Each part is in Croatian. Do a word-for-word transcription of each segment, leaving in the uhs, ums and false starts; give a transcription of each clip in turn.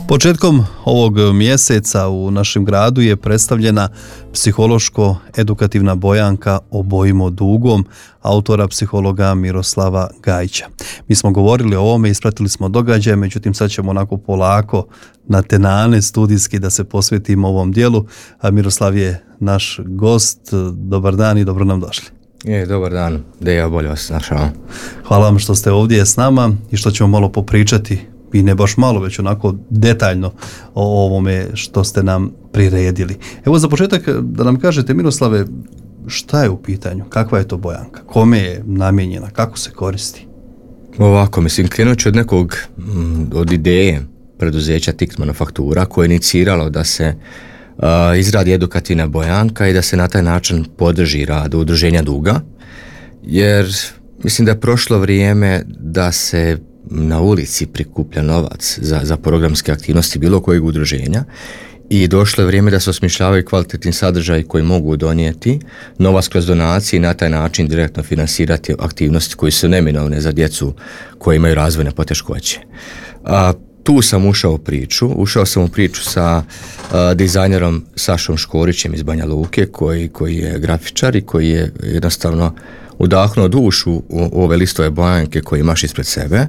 Početkom ovog mjeseca u našem gradu je predstavljena psihološko-edukativna bojanka Obojimo dugom autora psihologa Miroslava Gajića. Mi smo govorili o ovome, ispratili smo događaje, međutim sad ćemo onako polako na tenane studijski da se posvetimo ovom dijelu. A Miroslav je naš gost. Dobar dan i dobro nam došli. Je, dobar dan, da ja bolje vas našao. Hvala vam što ste ovdje s nama i što ćemo malo popričati, i ne baš malo, već onako detaljno o ovome što ste nam priredili. Evo za početak da nam kažete, Miroslave, šta je u pitanju, kakva je to bojanka, kome je namijenjena, kako se koristi? Ovako, mislim, krenut ću od nekog, od ideje preduzeća Tikt Manufaktura koje je iniciralo da se uh, izradi edukativna bojanka i da se na taj način podrži rad udruženja duga, jer mislim da je prošlo vrijeme da se na ulici prikuplja novac za, za programske aktivnosti bilo kojeg udruženja i došlo je vrijeme da se osmišljavaju kvalitetni sadržaji koji mogu donijeti novac kroz donacije i na taj način direktno finansirati aktivnosti koje su neminovne za djecu koji imaju razvojne poteškoće. A, tu sam ušao u priču, ušao sam u priču sa a, dizajnerom Sašom Škorićem iz Banja Luke koji, koji je grafičar i koji je jednostavno udahnuo dušu u ove listove bojanke koje imaš ispred sebe,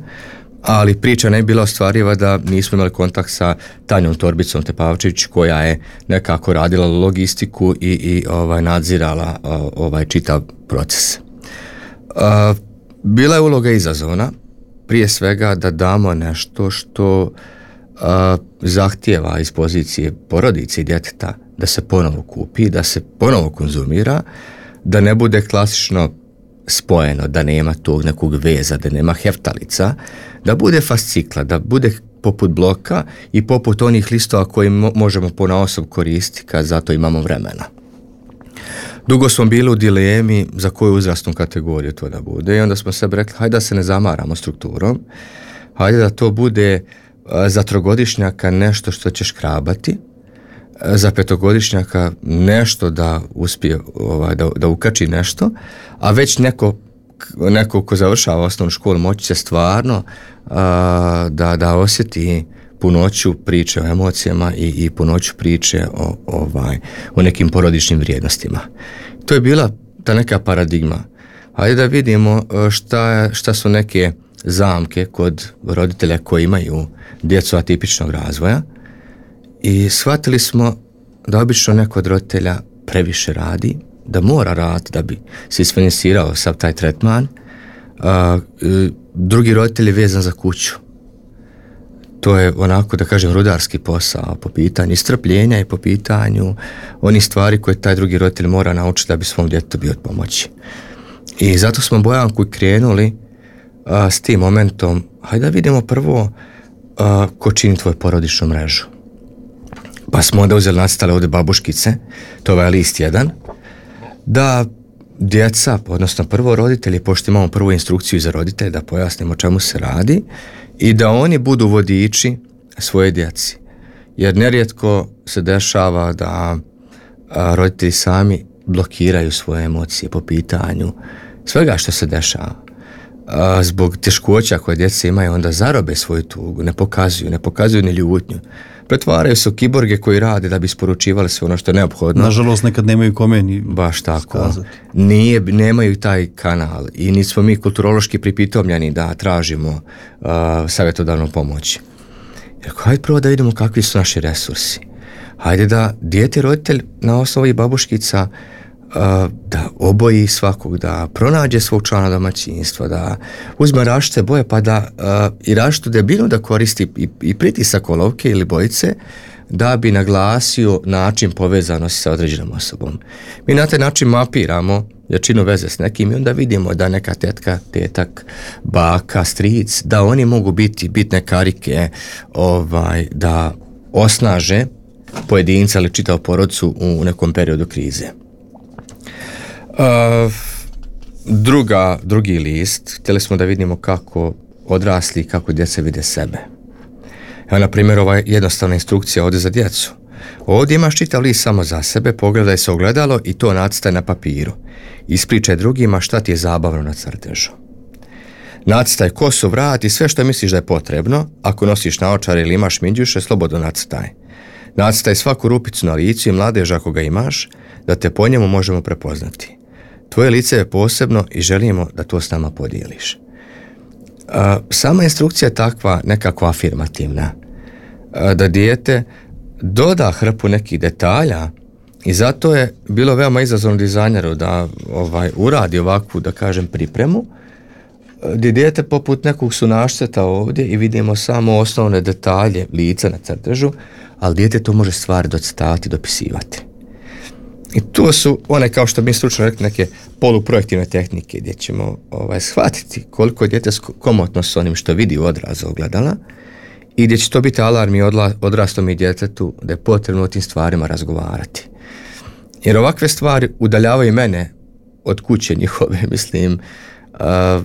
ali priča ne bi bila ostvariva da nismo imali kontakt sa Tanjom Torbicom Tepavčević koja je nekako radila logistiku i, i ovaj, nadzirala ovaj čitav proces. A, bila je uloga izazovna, prije svega da damo nešto što a, zahtijeva iz pozicije porodice i djeteta da se ponovo kupi, da se ponovo konzumira, da ne bude klasično spojeno, da nema tog nekog veza, da nema heftalica, da bude fascikla, da bude poput bloka i poput onih listova koji mo- možemo ponaosob koristiti kad zato imamo vremena. Dugo smo bili u dilemi za koju uzrasnu kategoriju to da bude i onda smo sebi rekli hajde da se ne zamaramo strukturom, hajde da to bude za trogodišnjaka nešto što će škrabati, za petogodišnjaka nešto da uspije ovaj, da, da ukači nešto, a već neko, neko ko završava osnovnu školu moći će stvarno a, da, da osjeti punoću priče o emocijama i, i punoću priče o, ovaj, o nekim porodičnim vrijednostima. To je bila ta neka paradigma. Hajde da vidimo šta, šta su neke zamke kod roditelja koji imaju djecu atipičnog razvoja. I shvatili smo da obično neko od roditelja previše radi, da mora raditi da bi se isfinansirao sav taj tretman. A, drugi roditelj je vezan za kuću. To je onako, da kažem, rudarski posao po pitanju strpljenja i po pitanju onih stvari koje taj drugi roditelj mora naučiti da bi svom djetetu bio od pomoći. I zato smo bojanku krenuli a, s tim momentom, hajde da vidimo prvo a, ko čini tvoju porodičnu mrežu. Pa smo onda uzeli nacrtale ovdje babuškice, to je ovaj list jedan, da djeca, odnosno prvo roditelji, pošto imamo prvu instrukciju za roditelje, da pojasnimo čemu se radi i da oni budu vodiči svoje djeci. Jer nerijetko se dešava da a, roditelji sami blokiraju svoje emocije po pitanju svega što se dešava. A, zbog teškoća koje djeca imaju, onda zarobe svoju tugu, ne pokazuju, ne pokazuju ni ljutnju. Pretvaraju se u kiborge koji rade da bi isporučivali sve ono što je neophodno. Nažalost, nekad nemaju kome ni baš tako. Nije, nemaju taj kanal i nismo mi kulturološki pripitomljeni da tražimo uh, savjetodavnu pomoć. Jer hajde prvo da vidimo kakvi su naši resursi. Hajde da dijete roditelj na osnovu ovih babuškica uh, da oboji svakog, da pronađe svog člana domaćinstva, da uzme različite boje pa da uh, i različitu debljinu da koristi i, i pritisak olovke ili bojice da bi naglasio način povezanosti sa određenom osobom. Mi na taj način mapiramo jačinu veze s nekim i onda vidimo da neka tetka, tetak, baka, stric, da oni mogu biti bitne karike ovaj, da osnaže pojedinca ili čitavu porodicu u nekom periodu krize. Uh, druga, drugi list, htjeli smo da vidimo kako odrasli i kako djeca vide sebe. Evo, na primjer, ova jednostavna instrukcija ovdje za djecu. Ovdje imaš čitav list samo za sebe, pogledaj se ogledalo i to nacrtaj na papiru. Ispričaj drugima šta ti je zabavno na crtežu. Nacrtaj kosu, vrat i sve što misliš da je potrebno. Ako nosiš naočare ili imaš minđuše, slobodno nacrtaj. Nacrtaj svaku rupicu na licu i mladež ako ga imaš, da te po njemu možemo prepoznati. Tvoje lice je posebno i želimo da to s nama podijeliš. A, sama instrukcija je takva nekako afirmativna. A, da dijete doda hrpu nekih detalja i zato je bilo veoma izazovno dizajneru da ovaj, uradi ovakvu, da kažem, pripremu, gdje dijete poput nekog sunašceta ovdje i vidimo samo osnovne detalje lica na crtežu, ali dijete to može stvari docrtavati, dopisivati. I to su one, kao što mi stručno rekli, neke poluprojektivne tehnike gdje ćemo ovaj, shvatiti koliko je dijete komotno s onim što vidi u odrazu ogledala i gdje će to biti alarm i odraslom i djetetu da je potrebno o tim stvarima razgovarati. Jer ovakve stvari udaljavaju mene od kuće njihove, mislim, uh,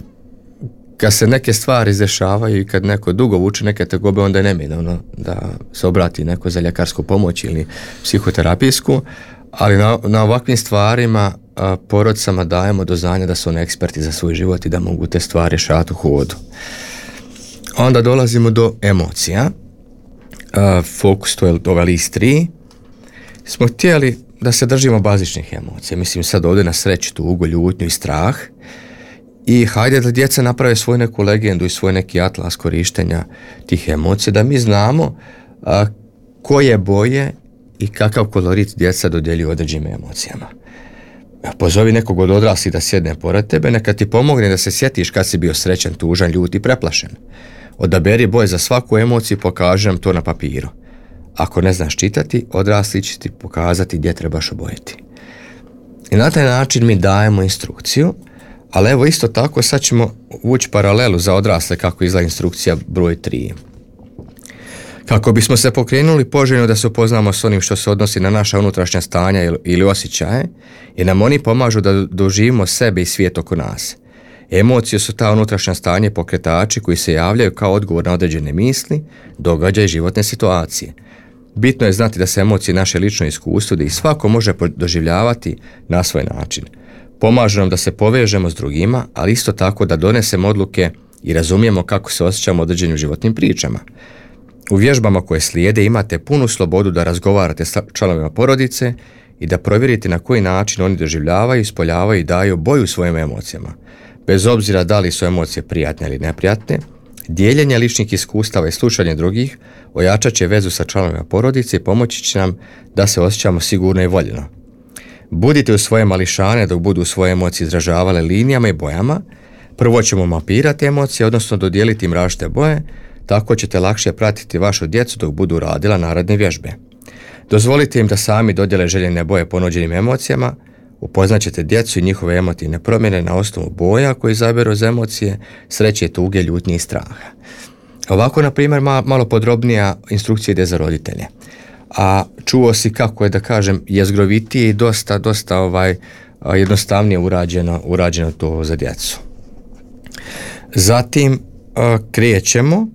kad se neke stvari izdešavaju i kad neko dugo vuče neke tegobe, onda je neminovno da se obrati neko za ljekarsku pomoć ili psihoterapijsku, ali na, na ovakvim stvarima a, porodicama dajemo do znanja da su oni eksperti za svoj život i da mogu te stvari rješavati u hodu. Onda dolazimo do emocija. A, fokus, to je ovaj list tri. Smo htjeli da se držimo bazičnih emocija. Mislim sad ovdje na sreću, tugu, ljutnju i strah. I hajde da djeca naprave svoju neku legendu i svoj neki atlas korištenja tih emocija, da mi znamo a, koje boje i kakav kolorit djeca dodjeljuju određenim emocijama. Pozovi nekog od odraslih da sjedne pored tebe, neka ti pomogne da se sjetiš kad si bio srećan, tužan, ljut i preplašen. Odaberi boje za svaku emociju i pokaži nam to na papiru. Ako ne znaš čitati, odrasli će ti pokazati gdje trebaš obojiti. I na taj način mi dajemo instrukciju, ali evo isto tako sad ćemo vući paralelu za odrasle kako izgleda instrukcija broj tri. Kako bismo se pokrenuli poželjno da se upoznamo s onim što se odnosi na naša unutrašnja stanja ili, ili osjećaje, jer nam oni pomažu da doživimo sebe i svijet oko nas. Emocije su ta unutrašnja stanja i pokretači koji se javljaju kao odgovor na određene misli, događaje i životne situacije. Bitno je znati da se emocije naše lično iskustvo da ih svako može doživljavati na svoj način. Pomažu nam da se povežemo s drugima, ali isto tako da donesemo odluke i razumijemo kako se osjećamo određenim životnim pričama. U vježbama koje slijede imate punu slobodu da razgovarate s članovima porodice i da provjerite na koji način oni doživljavaju, ispoljavaju i daju boju svojim emocijama. Bez obzira da li su emocije prijatne ili neprijatne, dijeljenje ličnih iskustava i slušanje drugih ojačat će vezu sa članovima porodice i pomoći će nam da se osjećamo sigurno i voljeno. Budite u svoje mališane dok budu svoje emocije izražavale linijama i bojama. Prvo ćemo mapirati emocije, odnosno dodijeliti im različite boje, tako ćete lakše pratiti vašu djecu dok budu radila naredne vježbe. Dozvolite im da sami dodjele željene boje ponuđenim emocijama, upoznaćete djecu i njihove emotivne promjene na osnovu boja koji izaberu za emocije, sreće, tuge, ljutnje i straha. Ovako, na primjer, malo podrobnija instrukcija ide za roditelje. A čuo si kako je, da kažem, jezgrovitije i dosta, dosta ovaj, jednostavnije urađeno, urađeno to za djecu. Zatim krećemo,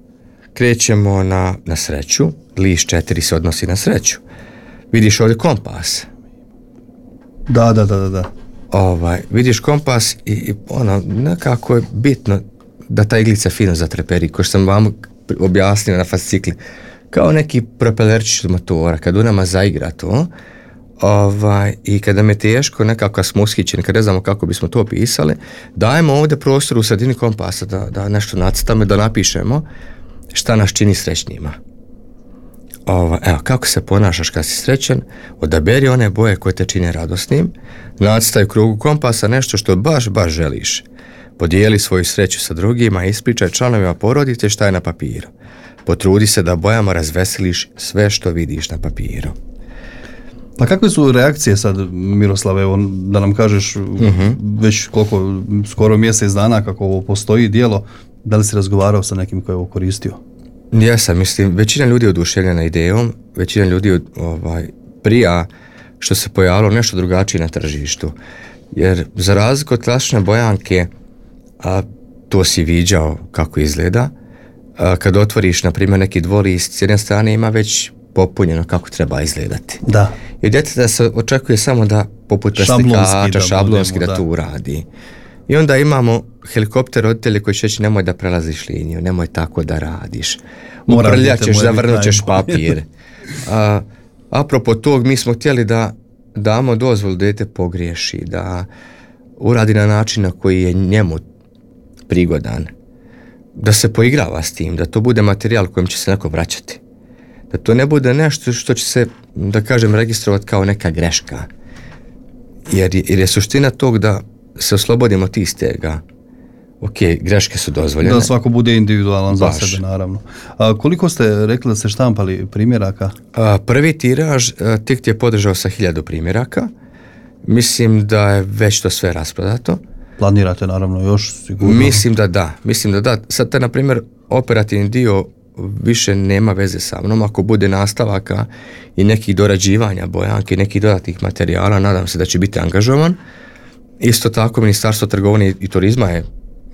krećemo na, na sreću. List četiri se odnosi na sreću. Vidiš ovdje kompas. Da, da, da, da. Ovaj, vidiš kompas i, i ono, nekako je bitno da ta iglica fino zatreperi, ko što sam vam objasnio na fascikli. Kao neki propelerčić od motora, kad u nama zaigra to, ovaj, i kada nam je teško, nekako smo ushićeni, kad ne znamo kako bismo to opisali, dajemo ovdje prostor u sredini kompasa da, da nešto nacrtamo i da napišemo šta nas čini srećnijima. Ovaj, evo, kako se ponašaš kad si srećan, odaberi one boje koje te čine radosnim, nacrtaj u krugu kompasa nešto što baš, baš želiš. Podijeli svoju sreću sa drugima i ispričaj članovima porodice šta je na papiru. Potrudi se da bojama razveseliš sve što vidiš na papiru. Pa kakve su reakcije sad, Miroslave, evo, da nam kažeš uh-huh. već koliko, skoro mjesec dana kako ovo postoji djelo, da li si razgovarao sa nekim koji je ovo koristio? Jesam, mislim, većina ljudi je oduševljena idejom, većina ljudi ovaj, prija što se pojavilo nešto drugačije na tržištu. Jer za razliku od klasične bojanke, a, to si viđao kako izgleda, a, kad otvoriš, na primjer, neki dvolist, s jedne strane ima već popunjeno kako treba izgledati. Da. I djeteta se očekuje samo da poput plastikača, šablonski da, da to uradi. I onda imamo helikopter roditelje koji će reći nemoj da prelaziš liniju, nemoj tako da radiš. Uprljat ćeš, zavrnut ćeš papir. A, apropo tog, mi smo htjeli da damo dozvolu da dijete pogriješi, da uradi na način na koji je njemu prigodan, da se poigrava s tim, da to bude materijal kojim će se neko vraćati. Da to ne bude nešto što će se, da kažem, registrovati kao neka greška. Jer, jer je suština tog da se oslobodimo tih stega. Ok, greške su dozvoljene. Da svako bude individualan za sebe, naravno. A koliko ste rekli da ste štampali primjeraka? A, prvi tiraž a, Tikt je podržao sa hiljadu primjeraka. Mislim da je već to sve rasprodato. Planirate naravno još sigurno? Mislim da da. Mislim da da. Sad te, na primjer, operativni dio više nema veze sa mnom. Ako bude nastavaka i nekih dorađivanja bojanke i nekih dodatnih materijala, nadam se da će biti angažovan. Isto tako, Ministarstvo trgovine i turizma je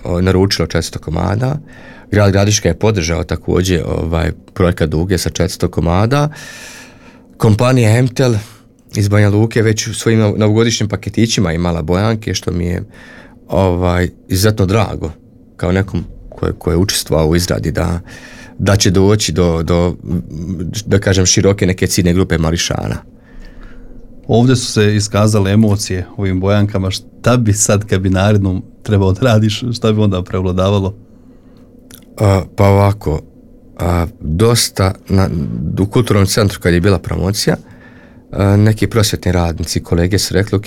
o, naručilo četiristo komada. Grad Gradiška je podržao također ovaj, projekat Duge sa četiristo komada. Kompanija Emtel iz Banja Luke već u svojim novogodišnjim paketićima imala bojanke, što mi je ovaj, izuzetno drago kao nekom ko, ko je učestvovao u izradi da, da će doći do, do, da kažem, široke neke ciljne grupe mališana. Ovdje su se iskazale emocije u ovim bojankama. Šta bi sad kad bi narednom trebao da radiš, šta bi onda prevladavalo? A, pa ovako, a, dosta na, u kulturnom centru kad je bila promocija, a, neki prosvjetni radnici, kolege su rekli, ok,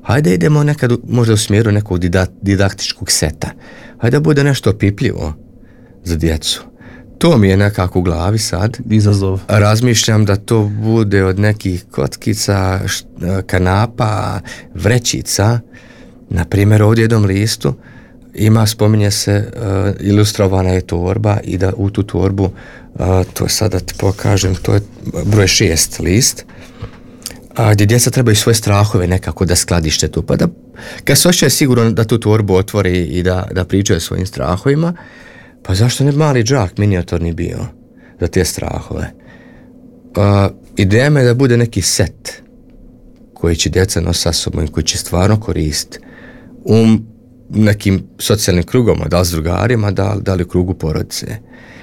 hajde idemo nekad možda u smjeru nekog didaktičkog seta. Hajde da bude nešto opipljivo za djecu. To mi je nekako u glavi sad. Izazov. Razmišljam da to bude od nekih kockica, kanapa, vrećica. Na primjer, ovdje u jednom listu ima, spominje se, uh, ilustrovana je torba i da u tu torbu, uh, to sada ti pokažem, to je broj šest list, a, gdje djeca trebaju svoje strahove nekako da skladište tu. Pa da, kad se osjećaju sigurno da tu torbu otvori i da, da pričaju svojim strahovima, pa zašto ne mali džak minijaturni bio za te strahove? Uh, ideja me je da bude neki set koji će djeca nositi sa sobom i koji će stvarno koristiti u nekim socijalnim krugama, da li s drugarima, da, da li u krugu porodice.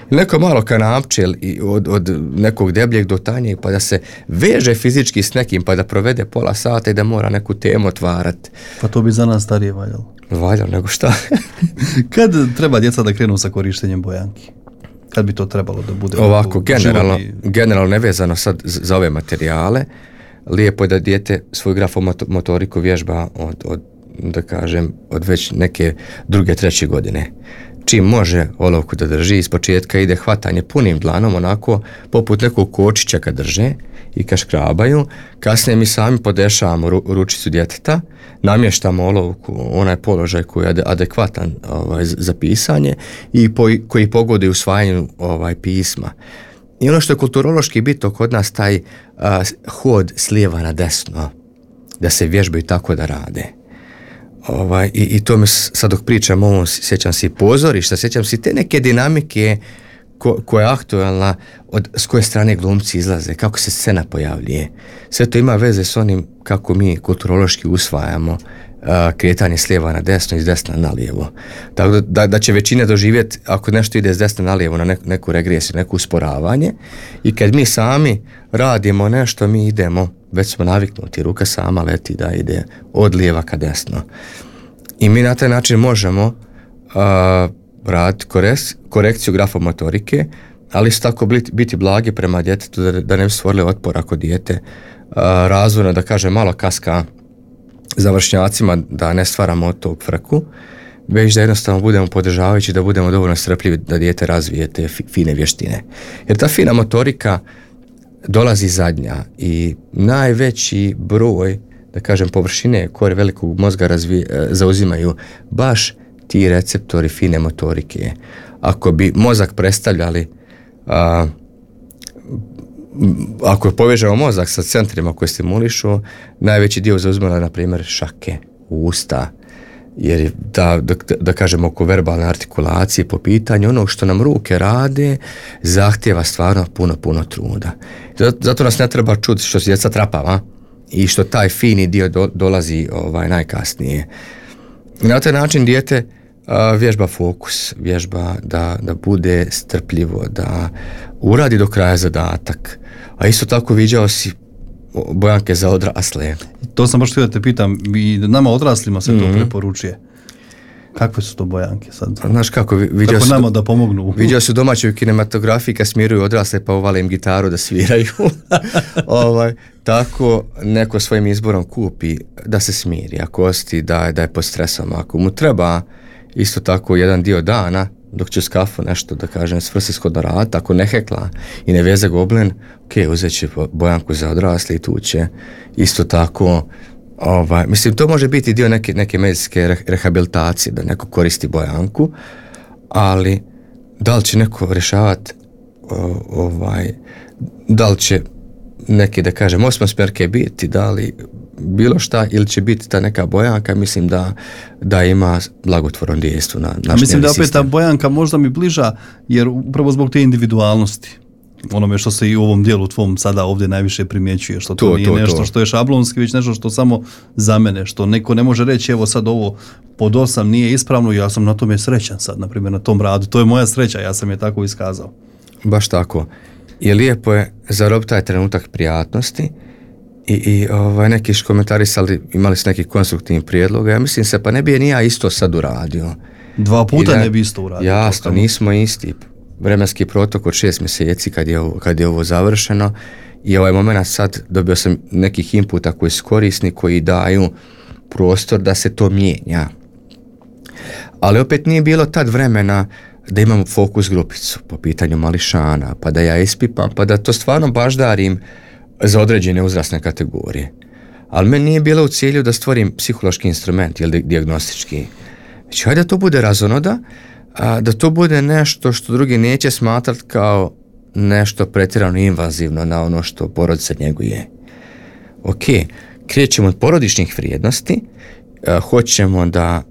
Neko malo kanapče od, od nekog debljeg do tanjeg, pa da se veže fizički s nekim, pa da provede pola sata i da mora neku temu otvarati. Pa to bi za nas starije valjalo. Valjalo, nego šta? Kad treba djeca da krenu sa korištenjem bojanki? Kad bi to trebalo da bude? Ovako, generalno, generalno nevezano sad za ove materijale, lijepo je da dijete svoju grafomotoriku vježba od, od, da kažem, od već neke druge, treće godine. Čim može olovku da drži, iz početka ide hvatanje punim dlanom, onako poput nekog kočića kad drže i kad škrabaju. Kasnije mi sami podešavamo ru, ručicu djeteta, namještamo olovku, onaj položaj koji je adekvatan ovaj, za pisanje i po, koji pogodi usvajanju ovaj, pisma. I ono što je kulturološki bitno kod nas, taj a, hod s lijeva na desno, da se vježbaju tako da rade. Ovaj, i, i to mi sad dok pričam ovo, sjećam se i pozorišta, sjećam se te neke dinamike ko, koja je aktualna, od, s koje strane glumci izlaze, kako se scena pojavljuje. Sve to ima veze s onim kako mi kulturološki usvajamo a, kretanje s lijeva na desno i s desna na lijevo. Tako da, da, da će većina doživjeti, ako nešto ide s desna na lijevo, na neku, neku regresiju, neku usporavanje, i kad mi sami radimo nešto, mi idemo, već smo naviknuti, ruka sama leti da ide od lijeva ka desno. I mi na taj način možemo uh, raditi korek- korekciju grafomotorike, ali isto tako biti, biti blagi prema djetetu da, da ne bi stvorili otpor ako dijete uh, razvojno, da kaže, malo kaska za vršnjacima, da ne stvaramo od tog frku, već da jednostavno budemo podržavajući, da budemo dovoljno strpljivi da dijete razvije te fi, fine vještine. Jer ta fina motorika dolazi zadnja i najveći broj, da kažem, površine kore velikog mozga razvi, zauzimaju baš ti receptori fine motorike. Ako bi mozak predstavljali, a, ako povežemo mozak sa centrima koje stimulišu, najveći dio zauzimala, na primjer, šake, usta, jer da, da, da kažemo oko verbalne artikulacije po pitanju onog što nam ruke rade zahtjeva stvarno puno, puno truda. Zato, zato nas ne treba čuti što se djeca trapava i što taj fini dio do, dolazi ovaj, najkasnije. Na taj način dijete a, vježba fokus, vježba da, da bude strpljivo, da uradi do kraja zadatak. A isto tako viđao si bojanke za odrasle. To sam baš htio da te pitam, i nama odraslima se to mm-hmm. preporučuje. Kakve su to bojanke sad? Znaš kako, vidio kako nama da pomognu? Vidio su domaćoj kinematografiji kad smiruju odrasle pa uvale im gitaru da sviraju. ovaj, tako neko svojim izborom kupi da se smiri, ako osti da, da je pod stresom. Ako mu treba isto tako jedan dio dana dok će s kafu nešto da kažem svrsishodno rad, ako ne hekla i ne veze goblin, ok, uzet će bojanku za odrasle i tu će isto tako. Ovaj, mislim, to može biti dio neke, neke medicinske rehabilitacije, da neko koristi bojanku, ali da li će neko rješavati ovaj, da li će neki, da kažem, osmosmjerke biti, da li bilo šta, ili će biti ta neka bojanka, mislim da, da ima blagotvorno dejstvo na naš nervni sistem. Mislim da opet ta bojanka možda mi bliža, jer upravo zbog te individualnosti, onome što se i u ovom dijelu tvom sada ovdje najviše primjećuje, što to, to nije to, nešto to. Što je šablonski, već nešto što samo za mene, što neko ne može reći evo sad ovo pod osam nije ispravno, ja sam na tome srećan sad, na primjer na tom radu, to je moja sreća, ja sam je tako iskazao. Baš tako. I lijepo je zarobiti taj trenutak prijatnosti i, i ovaj, neki komentarisali, imali su neki konstruktivni prijedloga, ja mislim se, pa ne bi je ni ja isto sad uradio. Dva puta da, ne bi isto uradio. Jasno, nismo isti. Vremenski protok od šest mjeseci kad je, ovo, kad je ovo završeno i ovaj moment sad dobio sam nekih inputa koji su korisni, koji daju prostor da se to mijenja. Ali opet nije bilo tad vremena da imamo fokus grupicu po pitanju mališana, pa da ja ispipam, pa da to stvarno baždarim za određene uzrasne kategorije. Ali meni nije bilo u cilju da stvorim psihološki instrument ili dijagnostički. Znači, hajde da to bude razonoda, a da to bude nešto što drugi neće smatrati kao nešto pretjerano invazivno na ono što porodica njeguje. Ok, krećemo od porodičnih vrijednosti, a, hoćemo da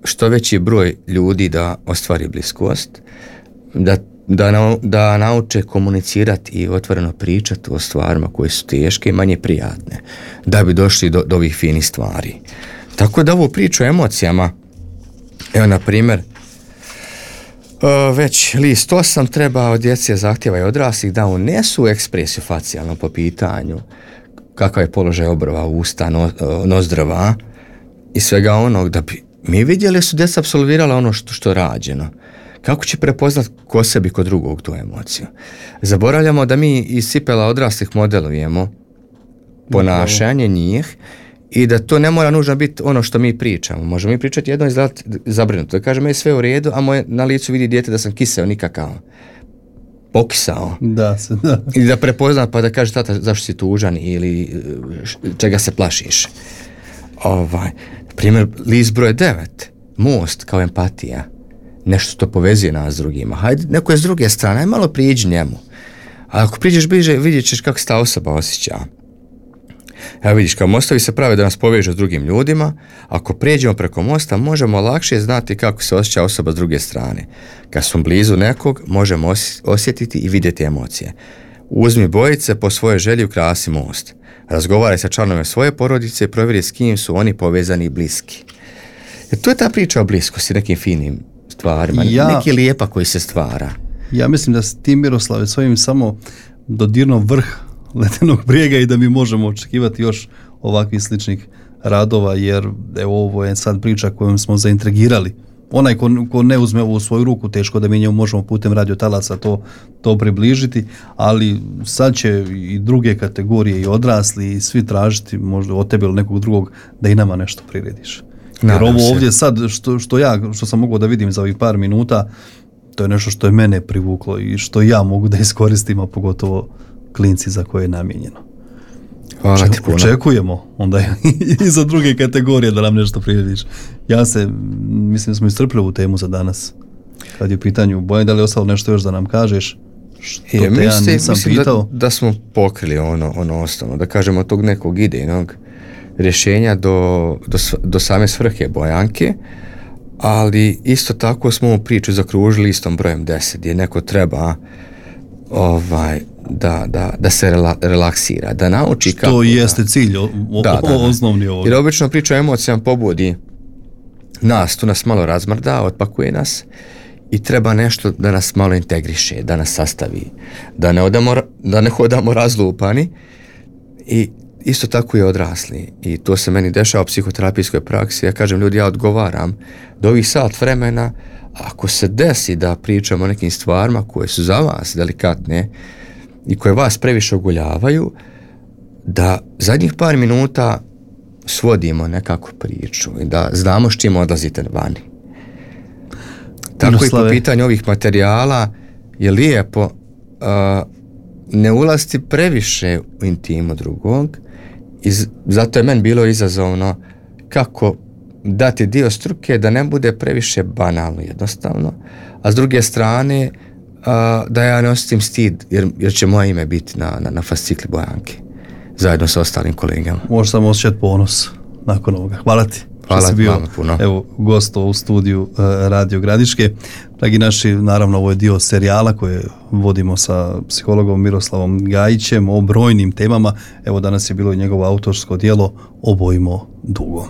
što veći broj ljudi da ostvari bliskost, da, da, na, da nauče komunicirati i otvoreno pričati o stvarima koje su teške i manje prijatne, da bi došli do, do ovih finih stvari. Tako da ovu priču o emocijama, evo na primjer, već list osam treba od djece zahtjeva i odraslih da unesu ekspresiju facijalno po pitanju kakav je položaj obrva, usta, no, nozdrva i svega onog, da bi mi vidjeli su djeca apsolvirala ono što, što je rađeno. Kako će prepoznat ko sebi kod drugog tu emociju? Zaboravljamo da mi iz cipela odraslih modelujemo ponašanje njih i da to ne mora nužno biti ono što mi pričamo. Možemo mi pričati jedno i izgledati zabrinuto. Da kažem, je sve u redu, a moje na licu vidi dijete da sam kiseo nikakav. Pokisao. Da, se, da. I da prepozna pa da kaže tata zašto si tužan ili čega se plašiš. Ovaj, primjer, list broj devet. Most kao empatija. Nešto što povezuje nas s drugima. Hajde, neko je s druge strane, aj malo priđi njemu. A ako priđeš bliže, vidjet ćeš kako se ta osoba osjeća. Evo vidiš, kao mostovi se prave da nas povežu s drugim ljudima, ako prijeđemo preko mosta, možemo lakše znati kako se osjeća osoba s druge strane. Kad smo blizu nekog, možemo osjetiti i vidjeti emocije. Uzmi bojice, po svojoj želji ukrasi most. Razgovaraj sa članovima svoje porodice i provjeri s kim su oni povezani i bliski. Jer to je ta priča o bliskosti, nekim finim stvarima, ja, neki lijepa koji se stvara. Ja mislim da si ti, Miroslave, svojim samo dodirno vrh ledenog brijega i da mi možemo očekivati još ovakvih sličnih radova, jer evo, ovo je sad priča kojom smo zaintrigirali. Onaj ko, ko ne uzme ovo u svoju ruku, teško da mi njemu možemo putem radiotalaca to, to približiti, ali sad će i druge kategorije i odrasli i svi tražiti možda od tebe ili nekog drugog da i nama nešto prirediš. Jer Nadam ovo se. Ovdje sad što, što ja, što sam mogao da vidim za ovih par minuta, to je nešto što je mene privuklo i što ja mogu da iskoristim, a pogotovo klinci za koje je namijenjeno. Hvala ti puno. Očekujemo onda i za druge kategorije da nam nešto prirediš. Ja se, mislim da smo iscrpili ovu temu za danas. Kad je u pitanju Bojan, da li je ostalo nešto još da nam kažeš? Što je, te ja mislim, nisam mislim pitao? Da, da smo pokrili ono, ono osnovno, da kažemo tog nekog idejnog rješenja do, do, do same svrhe bojanke, ali isto tako smo ovu priču zakružili istom brojem deset, gdje neko treba ovaj, da, da, da se rela, relaksira, da nauči što kako... Što jeste cilj, o, da, o, da, osnovni ovog. Jer obično priča o emocijama pobudi nas, tu nas malo razmrda, otpakuje nas i treba nešto da nas malo integriše, da nas sastavi, da ne, odamo, da ne hodamo razlupani i isto tako je odrasli. I to se meni dešava u psihoterapijskoj praksi. Ja kažem, ljudi, ja odgovaram do ovih sat vremena, ako se desi da pričamo o nekim stvarima koje su za vas delikatne i koje vas previše ogoljavaju, da zadnjih par minuta svodimo nekako priču i da znamo s čim odlazite vani. Tako Miroslave. I po pitanju ovih materijala je lijepo uh, ne ulaziti previše u intimu drugog i zato je meni bilo izazovno kako dati dio struke da ne bude previše banalno jednostavno, a s druge strane uh, da ja ne osjetim stid jer, jer će moje ime biti na, na, na fascikli Bojanke zajedno sa ostalim kolegama. Možeš samo osjećati ponos nakon ovoga. Hvala ti. Hvala bio, vam puno. Evo, gosto u studiju uh, Radio Gradiške. Dragi naši, naravno, ovo je dio serijala koje vodimo sa psihologom Miroslavom Gajićem o brojnim temama. Evo, danas je bilo i njegovo autorsko djelo Obojmo dugo.